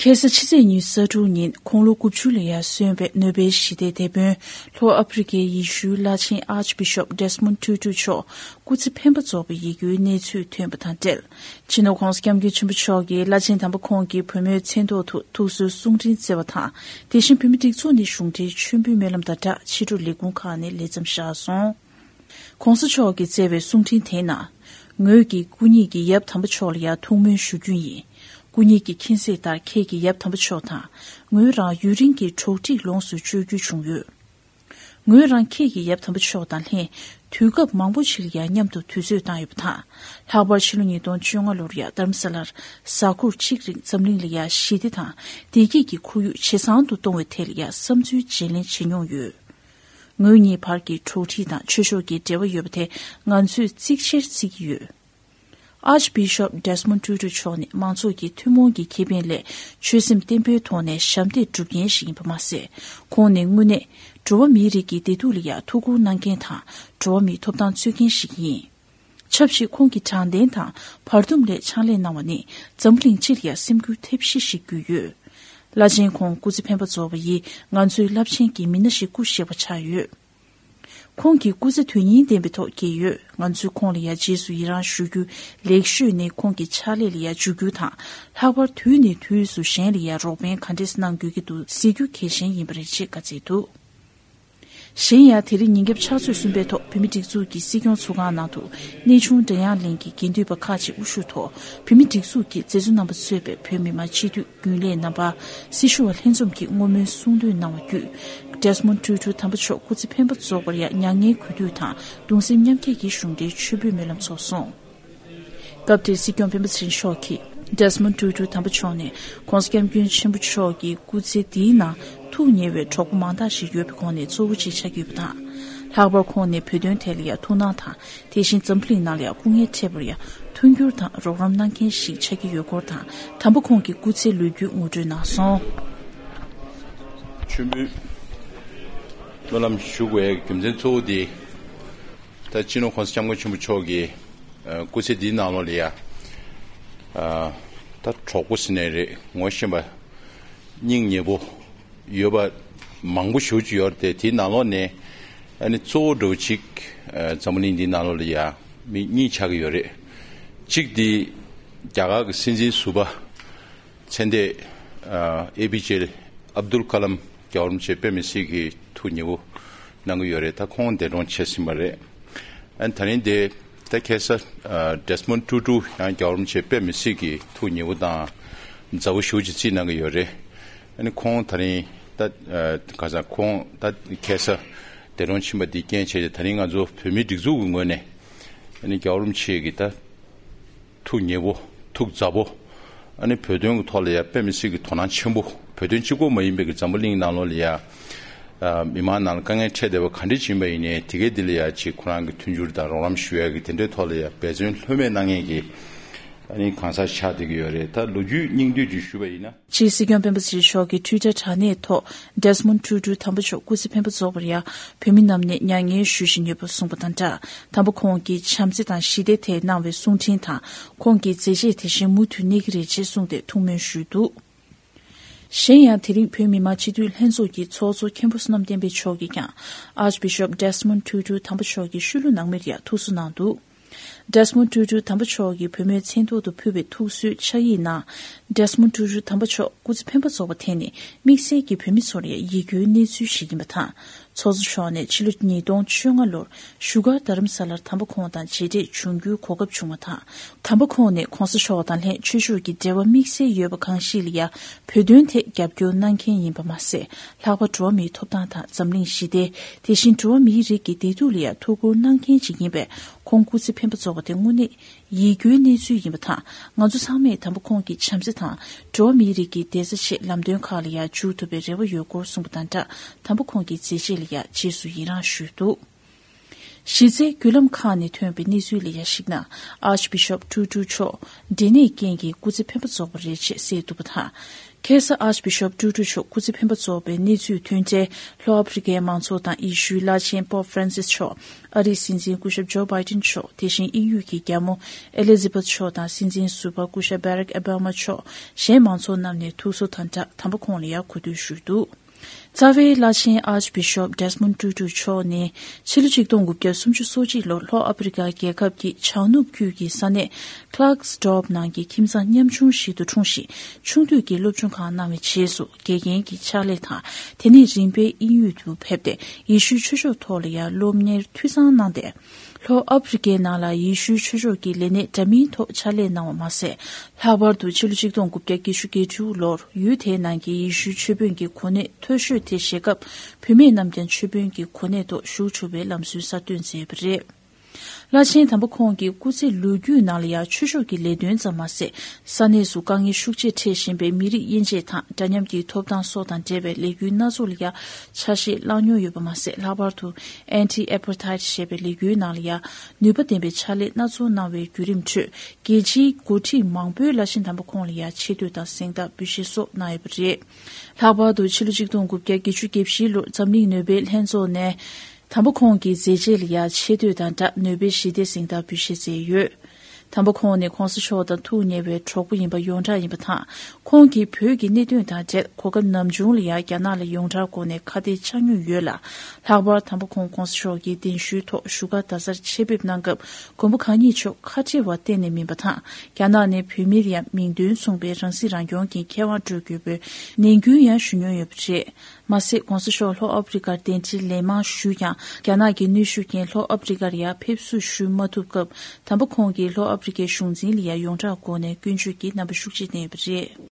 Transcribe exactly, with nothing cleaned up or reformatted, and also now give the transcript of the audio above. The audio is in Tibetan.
ཁ་སང་ཕྱི་ཚེས་ཉི་ཤུ་རྩ་དྲུག་ཉིན་ཁོང་ལོ་དགུ་བཅུ་ལ་ཡར་སོན་པའི་ནོ་བེལ་ཞི་བདེའི་དེད་དཔོན་ལྷོ་ཨ་ཕི་རི་ཀའི་ཡེ་ཤུའི་བླ་ཆེན་Archbishop Desmond Tutu མཆོག་སྐུ་ཚེ་འཕེན་པ་རྫོགས་པའི་ཡིད་སྐྱོའི་གནས་ཚུལ་ཐོན་པ་དང་འབྲེལ། སྤྱི་ནོར་༸གོང་ས་༸སྐྱབས་མགོན་ཆེན་པོ་མཆོག་གིས་བླ་ཆེན་དམ་པ་ཁོང་གི་བུ་མོའི་མཚན་ཐོག་ཏུ་ཐུགས་གསོའི་གསུང་འཕྲིན་བསྩལ་བ་དང་། དེ་བཞིན་བོད་མིའི་སྒྲིག་འཛུགས་ནས་གཞུང་འབྲེལ་མཆོད་འབུལ་སྨོན་ལམ་དང་སྦྲགས་ཕྱི་དྲོ་ལས་ཁུངས་ཁག་ནས་ལེགས་མཚམས་བཞག་སོང་། ༸གོང་ས་མཆོག་གིས་བསྩལ་བའི་གསུང་འཕྲིན་དེའི་ནང་། ངོས་ཀྱིས་སྐུ་ཉིད་ཀྱི་ཡབ་དམ་པ་མཆོག་ལ་ཡང་ཐུགས་སྨོན་ཞུ་རྒྱུ་ཡིན། སྐུ་ཉིད་ཀྱི་མཁྱེན་གཟིགས་ལྟར་ཁྱེད་ཀྱི་ཡབ་དམ་པ་མཆོག་དང་། ངོས་རང་ཡུན་རིང་གི་གྲོགས་འདྲིས་ལོངས་སུ་སྤྱོད་རྒྱུ་བྱུང་ཡོད། ངོས་རང་ཁྱེད་ཀྱི་ཡབ་དམ་པ་མཆོག་དང་ལྷན་དུས་སྐབས་མང་པོ་ཞིག་ལ་ཡང་མཉམ་དུ་དུས་ཚོད་བཏང་ཡོད་པ་དང་། ལྷག་པར་ཕྱི་ལོ་ཉིས་སྟོང་བཅོ་ལྔ་ལོར་ཡང་རྡ་རམ་ས་ལར་གཟའ་འཁོར་གཅིག་རིང་འཛམ་གླིང་ལ་ཡང་ཞི་བདེ་དང་བདེ་སྐྱིད་ཀྱི་ཁོར་ཡུག་ཇེ་བཟང་དུ་གཏོང་བའི་ཐད་ལ་ཡང་བསམ་ཚུལ་བརྗེ་ལེན་བྱེད་མྱོང་ཡོད། ངོས་གཉིས་བར་གྱི་གྲོགས་འདྲིས་དང་ཆོས་ཕྱོགས་ཀྱི་འབྲེལ་བ་ཡོད་པ་དེ་ང་ཚོས་གཙིགས་ཆེར་བརྩི་གི་ཡོད། Archbishop Desmond Tutu མཆོག་ནི་མང་ཚོགས་ཀྱི་ཐུན་མོང་གི་ཁེ་ཕན་སླད་ཆོད་སེམས་བརྟན་པོའི་ཐོག་ནས་ཞབས་འདེགས་སྒྲུབ་མཁན་ཞིག་ཡིན་པ་མ་ཟད། ཁོང་ནི་དངོས་གནས་འགྲོ་བ་མིའི་རིགས་ཀྱི་བདེ་སྡུག་ལ་ཡང་ཐུགས་ཁུར་གནང་མཁན་དང་འགྲོ་བ་མིའི་ཐོབ་ཐང་རྩོད་མཁན་ཞིག་ཡིན། ཆབས་ཅིག་ཁོང་གིས་དྲང་བདེན་དང་བར་འདུམ་སླད་ཕྱག་ལས་གནང་བ་ནི་འཛམ་གླིང་སྤྱི་ལ་ཡང་སེམས་འགུལ་ཐེབས་གཞི་ཞིག་བརྒྱུད་ཡོད། བླ་ཆེན་ཁོང་སྐུ་ཚེ་འཕེན་པ་རྫོགས་པ་ཡིས་ང་ཚོའི་རླབས་ཆེན་གྱི་མི་སྣ་ཞིག་སྐུ་གཤེགས་པ་ཆགས་ཡོད། ཁོང་གི་སྐུ་ཚེ་དོན་སྙིང་ལྡན་པའི་ཐོག་བསྐྱལ་ཡོད། ང་ཚོས་ཁོང་ལ་ཡང་རྗེས་སུ་ཡི་རང་ཞུ་རྒྱུ་ལེགས་ཤོས་ནི་ཁོང་གི་ཕྱག་ལས་ལ་ཡང་འཇུག་རྒྱུ་དང་། ལྷག་པར་དུས་ནས་དུས་སུ་གཞན་ལ་ཡང་རོགས་ཕན་ག་འདྲས་གནང་དགོས་ཀྱི་འདུག་ཟེར་རྒྱུ་གལ་ཆེན་ཡིན་པ་རེད་ཅེས་བཀའ་སྩལ་འདུག། གཞན་ཡང་དེ་རིང་ཉིན་རྒྱབ་ཕྱག་ཚོད་གསུམ་པའི་ཐོག་བོད་མིའི་སྒྲིག་འཛུགས་ཀྱི་སྲིད་སྐྱོང་ཚོགས་ཁང་ནང་དུ་གནས་ཆུང་སྒྲ་དབྱངས་གླིང་གི་དགེ་འདུན་པ་ཁག་ཅིག་དབུ་བཞུགས་ཐོག་བོད་མིའི་སྒྲིག་འཛུགས་ཀྱི་མཛད་གཙོ་རྣམ་པ་གཙོས་པའི་བོད་མི་མང་སྤྱི་འཐུས་རྒྱུན་ལས་རྣམ་པ། སྲི་ཞུ་བ་ལྷན་འཛོམས་ཀྱིས་བསྔོ་སྨོན་གསུང་འདོན་གནང་བ་བརྒྱུད། Desmond Tutu དམ་པ་མཆོག་སྐུ་ཚེ་འཕེན་པ་རྫོགས་པར་ཡང་མྱ་ངན་གུས་འདུད་དང་གདུང་སེམས་མཉམ་སྐྱེད་ཀྱི་གཞུང་འབྲེལ་མཆོད་འབུལ་སྨོན་ལམ་ཚོགས་སོང་། སྐབས་དེར་སྲིད་སྐྱོང་སྤེན་པ་ཚེ་རིང་མཆོག་གིས། Desmond Tutu དམ་པ་མཆོག་ནི་༸གོང་ས་༸སྐྱབས་མགོན་ཆེན་པོ་མཆོག་གི་སྐུ་ཚེ་འདིའི་ནང་ཐུགས་ཉེ་བའི་གྲོགས་པོ་མང་དག་ཞིག་ཡོད་པའི་ཁོངས་ནས་གཙོ་བོ་གཅིག་ཆགས་ཀྱི་ཡོད་པ་དང་། ལྷག་པར་ཁོང་ནི་བོད་དོན་ཐད་ལ་ཡང་ཐུགས་སྣང་དང་། དེ་བཞིན་འཛམ་བུ་གླིང་ནང་ལ་ཡང་སྐུ་ངལ་འཕྲད་པར་ཡང་མཐུན་འགྱུར་དང་རོགས་རམ་གནང་མཁན་ཞིག་ཆགས་ཀྱི་ཡོད་སྐོར་དང་། དམ་པ་ཁོང་གི་སྐུ་ཚེའི་ལོ་རྒྱུས་ངོ་སྤྲོད་གནང་སོང་། མཆོད་འབུལ་སྨོན་ལམ་ཞུ་དགོས་རྒྱུ་མཚན་གཙོ་བོ་དེ། ད་སྤྱི་ནོར་༸གོང་ས་༸སྐྱབས་མགོན་ཆེན་པོ་མཆོག་གི་ཨ་སྐུ་ཚེ་འདིའི་ནང་ལོགས་ལ་ཡ། ཨ་ད་གྲོགས་པོ་ཟེར་ནའི་རེད། ངོ་ཤེས་པ་སྙིང་ཉེ་པོ་ཡོད་པ་མང་པོ་ཞེ་པོ་ཅིག་ཡོད་རེད་དེ། དེའི་ནང་ལོགས་ནས་ཨ་ནི་གཙོ་བོ་འདྲ་བོ་ཅིག་ཨ་འཛམ་བུ་གླིང་འདིའི་ནང་ལོགས་ལ་ཡ་མི་གཉིས་ཆགས་ཀྱི་ཡོད་རེད། གཅིག་དེ་རྒྱ་གར་གྱི་སྲིད་འཛིན་ཟུར་པ་མཚན་ལྡན་ཨ་ཨེ་པི་ཇེ་ཨབ་དུལ་ཀ་ལམ། རྒྱལ་བ་རིན་པོ་ཆེ་དཔེ་མི་སྲིད་ཀྱི་ཐུགས་ཉེ་པོ་གནང་གི་ཡོད་རེད། ད་ཁོང་འདས་གྲོངས་བྱས་ཟིན་པ་རེད། ཨ་ནི་ད་རིང་དེ་ད་ཁ་སང་ཨ་Desmond Tutu ཡང་རྒྱལ་བ་རིན་པོ་ཆེ་དཔེ་མི་སྲིད་ཀྱི་ཐུགས་ཉེ་པོ་དང་མཛའ་བོ་ཞེ་པོ་ཅིག་བརྩིས་གནང་གི་ཡོད་རེད། ཨ་ནི་ཁོང་ད་རིང་ད་ཨ་ག་ས་ཁོང་ད་ཁ་སང་འདས་གྲོངས་ཕྱིན་པ་འདི་རྐྱེན་བྱས་ཏེ། ད་རིང་ང་ཚོ་བོད་མིའི་སྒྲིག་འཛུགས་ཀྱི་ངོས་ནས་ཨ་ནི་རྒྱལ་བ་རིན་པོ་ཆེ་གི་ད་ཐུགས་ཉེ་པོ། ཐུགས་མཛའ་པོ། ཨ་ནི་བོད་དོན་གྱི་ཐོག་ལ་ཡ་དཔེ་མི་སྲིད་ཀྱི་དོ་སྣང་ཆེན་པོ། བོད་དོན་གཅིག་པོ་མ་ཡིན་པའི་གི་འཛམ་བུ་གླིང་ནང་ལོགས་ལ་ཡ། ཨ་མི་མང་ནང་ལ་དཀའ་ངལ་འཕྲད་བསྡད་པ་ག་འདྲ་ཅིག་ཡིན་པ་ཡིན་ནའི། དེ་གའི་འདི་ལ་ཡ་ཅིག་ཁོ་རང་གི་མཐུན་འགྱུར་དང་རོགས་རམ་ཞུ་ཡ་གི་དེ་འདྲའི་ཐོག་ལ་ཡ་འབད་བརྩོན་ལྷོད་མེད་གནང་མཁན་གྱི་ཨ་ནི་གང་ཟག་ཆགས་བསྡད་ཀྱི་ཡོད་རེད། ད་ལོ་རྒྱུས་སྙིང་བསྡུས་ཅིག་ཞུས་པ་ཡིན་ན། སྤྱིར་སྲིད་སྐྱོང་སྤེན་པ་ཚེ་རིང་མཆོག་གིས་ཊུའི་ཊར་དྲ་གནས་ཐོག་Desmond Tutu དམ་པ་མཆོག་སྐུ་ཚེ་འཕེན་པ་རྫོགས་པར་ཡང་བོད་མི་རྣམས་ནས་མྱ་ངན་ཞུ་བཞིན་ཡོད་པ་གསུངས་པ་དང་སྦྲགས། དམ་པ་ཁོང་གིས་བྱམས་བརྩེ་དང་ཞི་བདེའི་ཐད་གནང་བའི་གསུང་འཕྲིན་དང་། ཁོང་གི་མཛད་རྗེས་དེ་བཞིན་མུ་མཐུད་གནས་ཀྱི་རེད་ཅེས་གསུངས་ཏེ་ཐུགས་སྨོན་ཞུས་འདུག། གཞན་ཡང་དེ་རིང་བོད་མི་མང་སྤྱི་འཐུས་ལྷན་ཚོགས་ཀྱི་ཚོགས་གཙོ་མཁན་པོ་བསོད་ནམས་བསྟན་འཕེལ་མཆོག་གིས་ཀྱང་Archbishop Desmond Tutu དམ་པ་མཆོག་གི་ཤུལ་ལུས་ནང་མིར་ཡང་ཐུགས་གསོ་གནང་འདུག། Desmond Tutu དམ་པ་མཆོག་གིས་བུ་མོའི་མཚན་ཐོག་ཏུ་ཕུལ་བའི་ཐུགས་གསོའི་ཕྱག་ཡིག་ནང་། Desmond Tutu དམ་པ་མཆོག་སྐུ་ཚེ་འཕེན་པ་རྫོགས་པ་དེ་ནི་དམིགས་བསལ་གྱིས་བོད་མི་ཚོར་ཡང་ཡིད་སྐྱོའི་གནས་ཚུལ་ཞིག་ཡིན་པ་དང་། ཚོགས་གཙོ་མཆོག་ནས་ཕྱི་ལོ་ཉིས་སྟོང་བཅོ་ལྔ་ལོར་བཞུགས་སྒར་རྡ་རམ་ས་ལར་དམ་པ་ཁོང་དང་མཇལ་འཕྲད་བྱུང་རྒྱུའི་གོ་སྐབས་བྱུང་བ་དང་། དམ་པ་ཁོང་ནི་༸གོང་ས་མཆོག་དང་ལྷན་ཆོས་ཕྱོགས་ཀྱི་འབྲེལ་བ་དམིགས་བསལ་ཡོད་པ་གང་ཞིག་ལ་ཡང་བོད་དོན་ཐད་རྒྱབ་སྐྱོར་གནང་མཁན་ཡིན་པ་མ་ཟད། ལྷག་པར་འགྲོ་བ་མིའི་ཐོབ་ཐང་དང་འཛམ་གླིང་ཞི་བདེ། དེ་བཞིན་འགྲོ་བ་མིའི་རིགས་ཀྱི་བདེ་སྡུག་ལ་ཡང་ཐུགས་ཁུར་གནང་མཁན་ཞིག་ཡིན་པས། ཁོང་སྐུ་ཚེ་འཕེན་པ་རྫོགས་པ་དེ་དངོས་གནས་ཡིད་སྐྱོའི་གནས་ཚུལ་ཡིན་པ་དང་། ང་ཚོ་ཚང་མས་དམ་པ་ཁོང་གི་བྱམས་བརྩེ་དང་། འགྲོ་བ་མིའི་རིགས་ཀྱི་བདེ་རྩ་ཆེད་ལམ་སྟོན་ཁག་ལ་ཡང་འཇུག་ཐུབ་པའི་རེ་བ་ཡོད་སྐོར་གསུངས་པ་དང་སྦྲགས། དམ་པ་ཁོང་གི་མཛད་རྗེས་ལ་ཡང་རྗེས་སུ་ཡི་རང་ཞུས་འདུག། གཞི་རྩའི་བརྒྱུད་ལམ་ཁག་ནས་ཐོན་པའི་གནས་ཚུལ་ལ་ཡང་གཞིགས་ན། Archbishop Tutu མཆོག་འབྲས་ནད་རྐྱེན་གྱིས་སྐུ་ཚེ་འཕེན་པ་རྫོགས་པ་རེད་ཅེས་གསལ་འདུག་པ་དང་། ཁ་སང་Archbishop Tutu མཆོག་སྐུ་ཚེ་འཕེན་པ་རྫོགས་པའི་གནས་ཚུལ་ཐོན་འཕྲལ། ལྷོ་ཨ་ཕི་རི་ཀའི་མང་ཚོགས་དང་ཡེ་ཤུའི་བླ་ཆེན་Pope Francis མཆོག་ཨ་རིའི་སྲིད་འཛིན་སྐུ་ཞབས་Joe Biden མཆོག་དེ་བཞིན་དབྱིན་ཡུལ་གྱི་རྒྱལ་མོ་Elizabeth མཆོག་དང་སྲིད་འཛིན་ཟུར་པ་སྐུ་ཞབས་Barack Obama མཆོག་གཞན་མང་ཚོགས་རྣམས་ནས་ཐུགས་གསོ་དང་སྦྲགས་དམ་པ་ཁོང་ལ་ཡང་གུས་འདུད་ཞུས་འདུག་རྩ་བའི་བླ་ཆེན་Archbishop Desmond Tutu མཆོག་ནི་ཕྱི་ལོ་ཆིག་སྟོང་དགུ་བརྒྱ་སུམ་ཅུ་སོ་གཅིག་ལོར་ལྷོ་ཨ་ཕི་རི་ཀ་རྒྱལ་ཁབ་ཀྱི་བྱང་ནུབ་རྒྱུད་ཀྱི་ས་གནས་Klerksdorp ནང་གི་ཁྱིམ་ཚང་ཉམ་ཆུང་ཞིག་ཏུ་འཁྲུངས་ཤིང་། ཆུང་དུས་ཀྱི་སློབ་སྦྱོང་ཁག་གནང་བའི་རྗེས་སུ། དགེ་རྒན་གྱི་ཕྱག་ལས་དང་། དེ་ནས་རིམ་པས་དབྱིན་ཡུལ་དུ་ཕེབས་ཏེ། ཡེ་ཤུའི་ཆོས་ཕྱོགས་ཐོག་ལ་ཡང་སློབ་གཉེར་འཐུས་ཚང་གནང་སྟེ། ལྷོ་ཨ་ཕི་རི་ཀའི་ནང་ལ་ཡེ་ཤུའི་ཆོས་ཕྱོགས་ཀྱི་ལས་གནས་འདྲ་མིན་ཐོག་ཕྱག་ལས་གནང་བ་མ་ཟད། ལྷག་པར་དུ་ཕྱི་ལོ་ཆིག་སྟོང་དགུ་བརྒྱ་བརྒྱད་ཅུ་གྱ་དྲུག་ལོར་ཡུལ་དེའི་ནང་གི་ཡེ་ཤུའི་ཆོས་དཔོན་གྱི་གོ་གནས་མཐོ་ཤོས་དེ་བཞེས་སྐབས། བུད་མེད་རྣམས་ཀྱང་ཆོས་དཔོན་གྱི་གོ་གནས་ཐོག་ཞུགས་ཆོག་པའི་ལམ་སྲོལ་གསར་གཏོད་མཛད་པ་རེད། བླ་ཆེན་དམ་པ་ཁོང་གི་སྐུ་ཚེ་ལོ་རྒྱུས་ནང་ལ་ཡང་ཆོས་ཕྱོགས་ཀྱི་ལས་དོན་ཙམ་མ་ཟད། ས་གནས་སུ་དཀའ་ངལ་ཤུགས་ཆེ་འཕྲད་བཞིན་པའི་མི་རིགས་དབྱེ་འབྱེད་དང་འདྲ་མཉམ་གྱི་ཐོབ་ཐང་སོགས་དང་འབྲེལ་བའི་ལས་འགུལ་སྣ་ཚོགས་ལ་ཡང་ཆ་ཤས་བླངས་མྱོང་ཡོད་པ་མ་ཟད། ལྷག་པར་དུ་Anti-Apartheid ཞེས་པའི་ལས་འགུལ་ནང་ལ་ཡང་ནུས་པ་ལྡན་པའི་ཕྱག་ལས་སྣ་ཚོགས་གནང་བའི་བརྒྱུད་རིམ་ཁྲོད། རྒྱལ་སྤྱིའི་འགོ་ཁྲིད་མང་པོས་བླ་ཆེན་དམ་པ་ཁོང་ལ་ཡང་ཆེ་བསྟོད་དང་གཟེངས་རྟགས་འབུལ་བཞེས་སོགས་གནང་ཡོད་པ་རེད། ལྷག་པར་དུ་ཕྱི་ལོ་ཆིག་སྟོང་དགུ་བརྒྱ་བརྒྱད་ཅུ་གྱ་བཞི་ལོར་འཛམ་གླིང་ནོ་བེལ་ལྷན་ཚོགས་ནས། དམ་པ་ཁོང་གི་མཛད་རྗེས་ལ་ཡང་ཆེ་བསྟོད་དང་སྦྲགས་ནོ་བེལ་ཞི་བདེའི་གཟེངས་རྟགས་འབུལ་བཞེས་མཛད་ཡོད། དམ་པ་ཁོང་ནི་གོང་ས་མཆོག་དང་ཐུགས་ཉེ་བའི་གྲོགས་པོ་ཡིན་པ་ཡོངས་གྲགས་ཡིན་པ་དང་། ཁོང་གིས་བོད་ཀྱི་གནད་དོན་དང་འབྲེལ་གོ་སྐབས་ནམ་བྱུང་ལ་ཡང་རྒྱ་ནག་ལ་ཡོངས་གྲགས་སྒོ་ནས་ཁ་གཏད་བཅག་མྱོང་ཡོད་ལ། ལྷག་པར་དམ་པ་ཁོང་གོང་ས་མཆོག་གི་གདན་ཞུའི་ཐོག་བཞུགས་སྒར་རྡ་སར་ཆེད་ཕེབས་གནང་སྐབས། མགོན་པོ་གང་ཉིད་མཆོག་ཁ་བྲལ་བ་གཏན་ནས་མིན་པ་དང་། རྒྱ་ནག་ནས་བོད་མིར་ཡང་མིང་དོན་མཚུངས་པའི་རང་སྲིད་རང་སྐྱོང་གི་ཁེ་དབང་སྤྲོད་དགོས་པའི་ནན་སྐུལ་ཡང་ཞུ་མྱོང་ཡོད་པ་རེད། མ་ཟད། གོང་ས་མཆོག་ལྷོ་ཨ་ཕི་རི་ཀར་གདན་འདྲེན་ལན་མང་ཞུས་ཀྱང་། རྒྱ་ནག་གི་གནོན་ཤུགས་རྐྱེན་ལྷོ་ཨ་ཕི་རི་ཀར་ཡང་ཕེབས་བསུ་ཞུ་མ་ཐུབ་སྐབས། དམ་པ་ཁོང་གིས་ལྷོ་ཨ་ཕི་རི་ཀའི་གཞུང་འཛིན་ལ་ཡང་ཡོངས་གྲགས་སྒོ་ནས་སྐྱོན་བརྗོད་ཀྱི་རྣམ་པ་ཤུགས་ཆེ་བསྟན་ཡོད་པ་རེད།